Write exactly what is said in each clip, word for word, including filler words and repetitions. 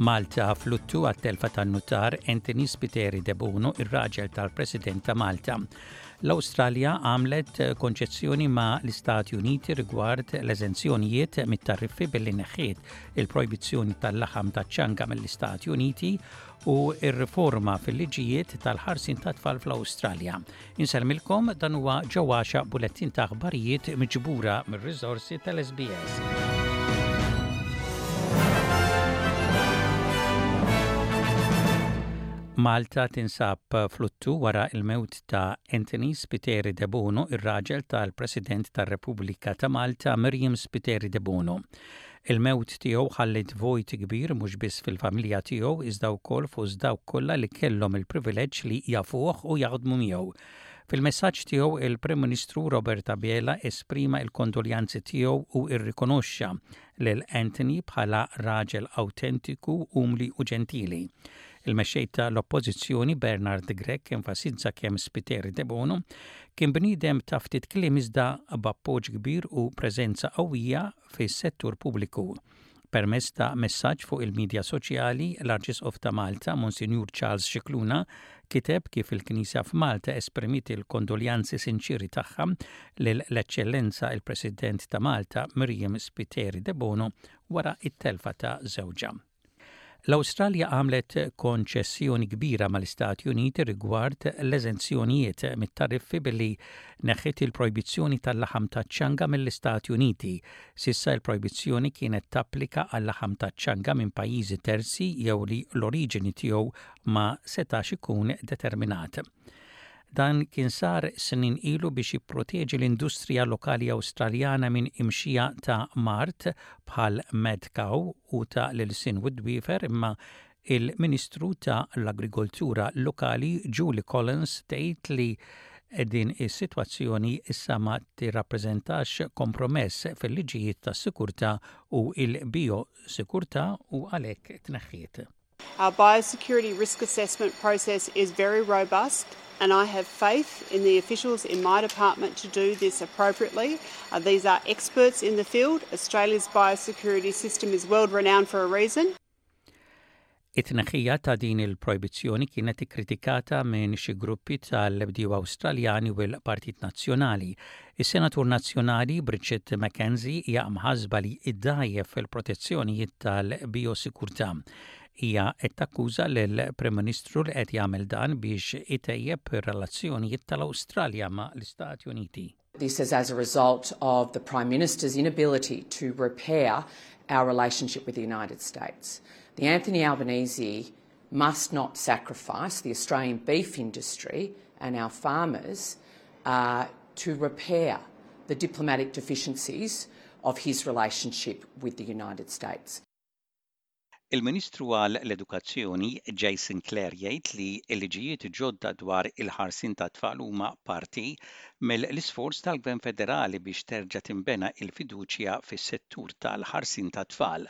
Malta fluttu għat-telfa tan-nutar Anthony Spiteri Debono, ir-raġel tal-President ta' Malta. L-Awstralja għamlet konċessjoni ma' l-Istati Uniti rigward l-eżenzjonijiet mit-tariffi billi neħħiet il-projbizzjoni tal-laħam taċ-ċanga mill-Istati Uniti u ir-riforma fil-liġijiet tal-ħarsin ta' tfal fl-Awstralja. Insellmilkom, dan huwa ġewwaxa bulettin ta' aħbarijiet miġbura mir-riżorsi tal-S B S. Malta tinsab fluttu wara il-mewt ta' Anthony Spiteri Debono, ir-raġel tal-President tar-Repubblika ta' Malta Miriam Spiteri Debono. Il-mewt tiegħu ħallit vojt kbir mhux biss fil-familja tiegħu, iżda wkoll fost dawk kollha li kellhom il-privileġġ li jafuh u jaħdmu miegħu. Fil-messaġġ tiegħu, il-Prim Ministru Robert Abela esprima il-kondoljanzi tiegħu u irrikonoxxa lil Anthony bħala raġel autentiku, umli u ġentili. Il-mexxej tal-Oppożizzjoni Bernard Grech enfasizza kemm Spiteri Debono kien bniedem ta' ftit kliem iżda b'appoġġ kbir u preżenza qawwija fis-settur pubbliku. Permezz ta' messaġġ fuq il-medja soċjali, l-Arċisqof ta' Malta, Monsinjur Charles Scicluna, kiteb kif il-Knisja f'Malta esprimiet il-kondoljanzi sinċiri tagħha lill-Eċċellenza il-President ta' Malta Miriam Spiteri Debono wara it-telfa ta' żewġha. L-Awstralja għamlet konċessjoni kbira mal-Istati Uniti rigward l-eżenzjonijiet mit-tariffi billi neħħiet il-projbizzjoni tal-laħam taċ-ċanga mill-Istati Uniti. S'issa il-projbizzjoni kienet tapplika għal-laħam taċ-ċanga minn pajjiżi terzi jew li l-oriġini tiegħu ma setax ikun determinat. Dan kien sar snin ilu biex jipproteġi l-industrija lokali Awstraljana minn imxija ta' mard bħal mad cow u ta' l-ilsien u d-dwifer, imma il-Ministru ta' l-Agrikoltura lokali Julie Collins tgħid li din is-sitwazzjoni issa ma tirrappreżentax kompromess fil-liġijiet tas-sikurtà u il-biosikurtà u għalhekk tneħħiet. Our biosecurity risk assessment process is very robust and I have faith in the officials in my department to do this appropriately. Uh, these are experts in the field. Australia's biosecurity system is world renowned for a reason. It-tneħħija ta' din il-projbizzjoni kienet ikkritikata minn xi gruppi tal-bdiewa Awstraljani u l-Partit Nazzjonali. Is-Senatur Nazzjonali Bridget McKenzie hija mħasba li iddgħajjef fil-protezzjonijiet tal-biosikurtà. Hija qed takkuża lill-Prim Ministru li qed jagħmel dan biex itejjeb ir-relazzjonijiet tal-Awstralja ma' l-Istati Uniti. This is as a result of the Prime Minister's inability to repair our relationship with the United States. The Anthony Albanese must not sacrifice the Australian beef industry and our farmers uh, to repair the diplomatic deficiencies of his relationship with the United States. Il-Ministru għal l-Edukazzjoni Jason Clare jgħid li l-liġijiet ġodda dwar il-ħarsin ta' tfal huma parti mill-isforz tal-Gvern Federali biex terġa' tinbena il-fiduċja fis-settur tal-ħarsin ta' tfal.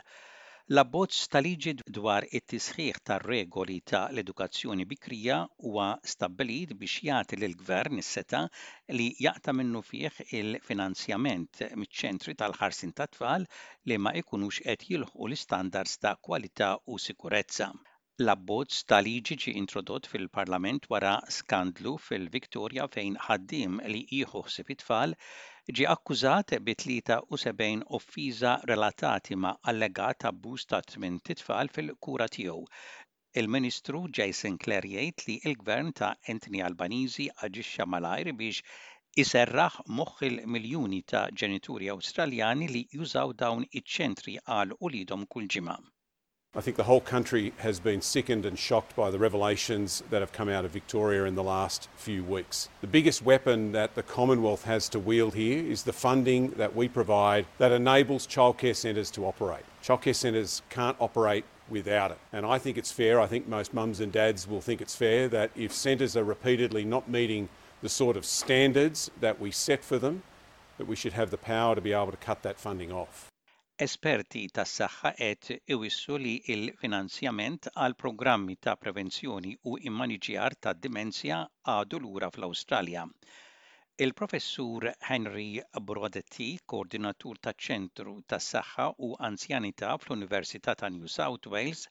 L-abbozz ta' liġi dwar it-tisħiħ tar-regoli ta' l-edukazzjoni bikrija huwa stabbilit biex jagħti lill-gvern is-setgħa li jaqta' minnufih il-finanzjament miċ-ċentri tal-ħarsin tat-tfal li ma jkunux qed jilħqu l-istandards ta' kwalità u sikurezza. L-abbozz ta' liġi ġie introdott fil-Parlament wara skandlu fil-Victoria fejn ħaddiem li jieħu ħsieb it-tfal ġie akkużat bi tlieta u sebgħin offiża relatati ma' allegat abbuż ta' tmien tfal fil-kura tiegħu. Il-Ministru Jason Clare jgħid li l-Gvern ta' Anthony Albanese aġixxa malajr biex iserraħ moħħ il-miljuni ta' ġenituri Awstraljani li jużaw dawn iċ-ċentri għal uliedhom kull ġimgħa. I think the whole country has been sickened and shocked by the revelations that have come out of Victoria in the last few weeks. The biggest weapon that the Commonwealth has to wield here is the funding that we provide that enables childcare centres to operate. Childcare centres can't operate without it. And I think it's fair, I think most mums and dads will think it's fair that if centres are repeatedly not meeting the sort of standards that we set for them, that we should have the power to be able to cut that funding off. Esperti tas-saħħa qed iwissu li l-finanzjament għal programmi ta' prevenzjoni u immaniġjar ta' dimensja għadu lura fl-Awstralja. Il-professur Henry Brodaty, koordinatur taċ-ċentru tas-saħħa u anzjanità fl-Università ta' New South Wales,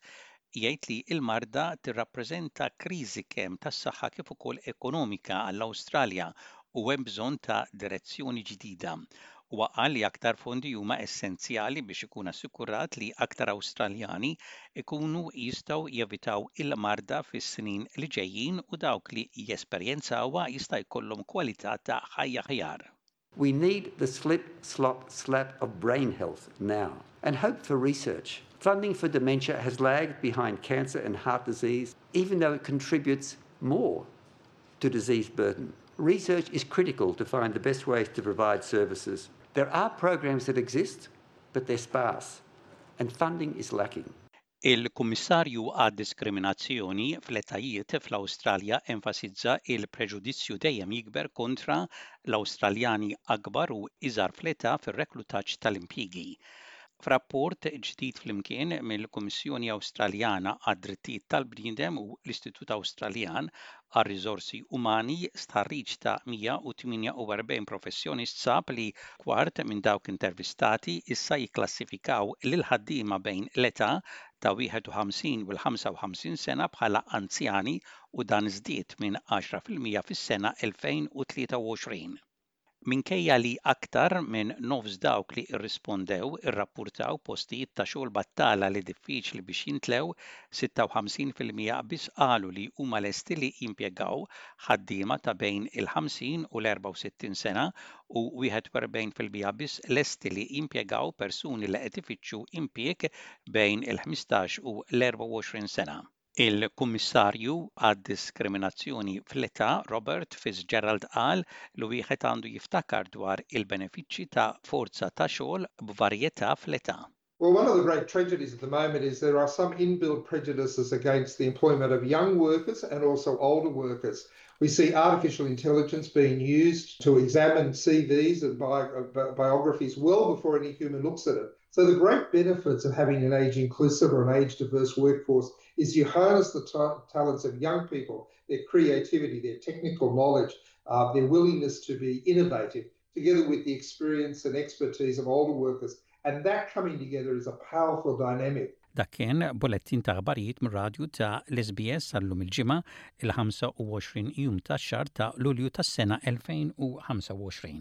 Jgħid li l-marda tirrappreżenta kriżi kemm tas-saħħa kif ukoll ekonomika għall-Awstralja u hemm bżonn ta' direzzjoni ġdida. Huwa qal li aktar fondi huma essenzjali biex ikun assikurat li aktar Awstraljani ikunu jistgħu jevitaw il-marda fis-snin li ġejjin u dawk li jesperjenzawha jista' jkollhom kwalità ta' ħajja aħjar. We need the slip, slop, slap of brain health now and hope for research. Funding for dementia has lagged behind cancer and heart disease, even though it contributes more to disease burden. Research is critical to find the best ways to provide services. There are programs that exist, but they're sparse, and funding is lacking. Il-Kummissarju għad-Diskriminazzjoni fl-etajiet fl-Awstralja enfasizza il-preġudizzju dejjem jikber kontra l-Awstraljani akbar u iżgħar fl-età fir-reklutaġġ tal-impjiegi. F'rapport ġdid flimkien mill-Kummissjoni Awstraljana għad-Drittijiet tal-Bniedem u l-Istitut Awstraljan għar-Riżorsi Umani, stħarriġ ta' mija u tmienja u erbgħin professjonist sab li kwart minn dawk intervistati issa jikklassifikaw lil ħaddiema bejn l-età ta' wieħed u ħamsin u l-ħamsa u ħamsin sena bħala anzjani, u dan żdied minn għaxra fil-mija fis-sena elfejn u tlieta u għoxrin. Minkejja li aktar minn nofs dawk li irrispondew irrappurtaw postijiet ta' xogħol battala li diffiċli biex jintlew, sitta u ħamsin fil-mija biss qalu li huma lesti li jimpjegaw ħaddiema ta' bejn il-ħamsin u l-erbgħa u sittin sena u wieħed u erbgħin fil-mija biss lesti li jimpjegaw persuni li qed ifittxu impjieg bejn il-ħmistax u l-erbgħa u għoxrin sena. Il-Kummissarju għad-Diskriminazzjoni fl-età Robert Fitzgerald qal li wieħed għandu jiftakar dwar il-benefiċċji ta' forza ta' xogħol b'varjetà fl-età. Well, one of the great tragedies at the moment is there are some inbuilt prejudices against the employment of young workers and also older workers. We see artificial intelligence being used to examine C Vs and bi biographies well before any human looks at it. So the great benefits of having an age inclusive or an age diverse workforce is you harness the talents of young people, their creativity, their technical knowledge, uh, their willingness to be innovative, together with the experience and expertise of older workers. And that coming together is a powerful dynamic. Dak kien bulettin ta' aħbarijiet mir-radju ta' l-S B S għal-lum il-Ġimgħa, il-ħamsa u għoxrin jum ta' xahar ta' Lulju tas-sena elfejn u ħamsa u għoxrin.